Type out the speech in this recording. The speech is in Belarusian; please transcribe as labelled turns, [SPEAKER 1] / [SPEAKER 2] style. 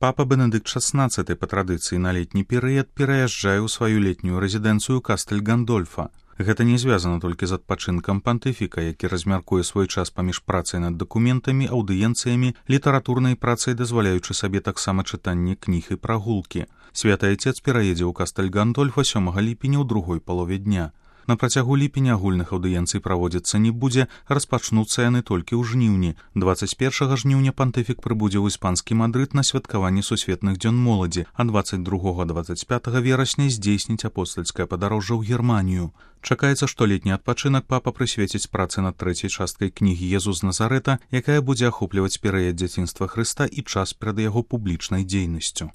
[SPEAKER 1] Папа Бенедыкт XVI па традыцыі на летні перыяд пераязджае ў сваю летнюю рэзідэнцыю Кастэль Гандольфа. Гэта не звязана толькі з адпачынкам пантыфіка, які размяркуе свой час паміж працай над дакументамі, аўдыенцыямі, літаратурнай працай, дазваляючы сабе таксама чытанне кніг і прагулкі. Святы Айцец пераедзе ў Кастэль Гандольфа 7 ліпеня ў другой палове дня. На працягу ліпеня агульных аўдыенцый праводзіцца не будзе, распачнуцца яны толькі ў жніўні. 21 жніўня пантыфік прыбудзе ў іспанскі Мадрыд на святкаванне сусветных дзён моладзі, а 22-25 верасня здзейсніць апостальскае падарожжа ў Германію. Чакаецца, што летні адпачынак папа прысвеціць працы над трэцяй часткай кнігі «Езус з Назарэта», якая будзе ахопліваць перыяд дзяцінства Хрыста і час перад яго публічнай дзейнасцю.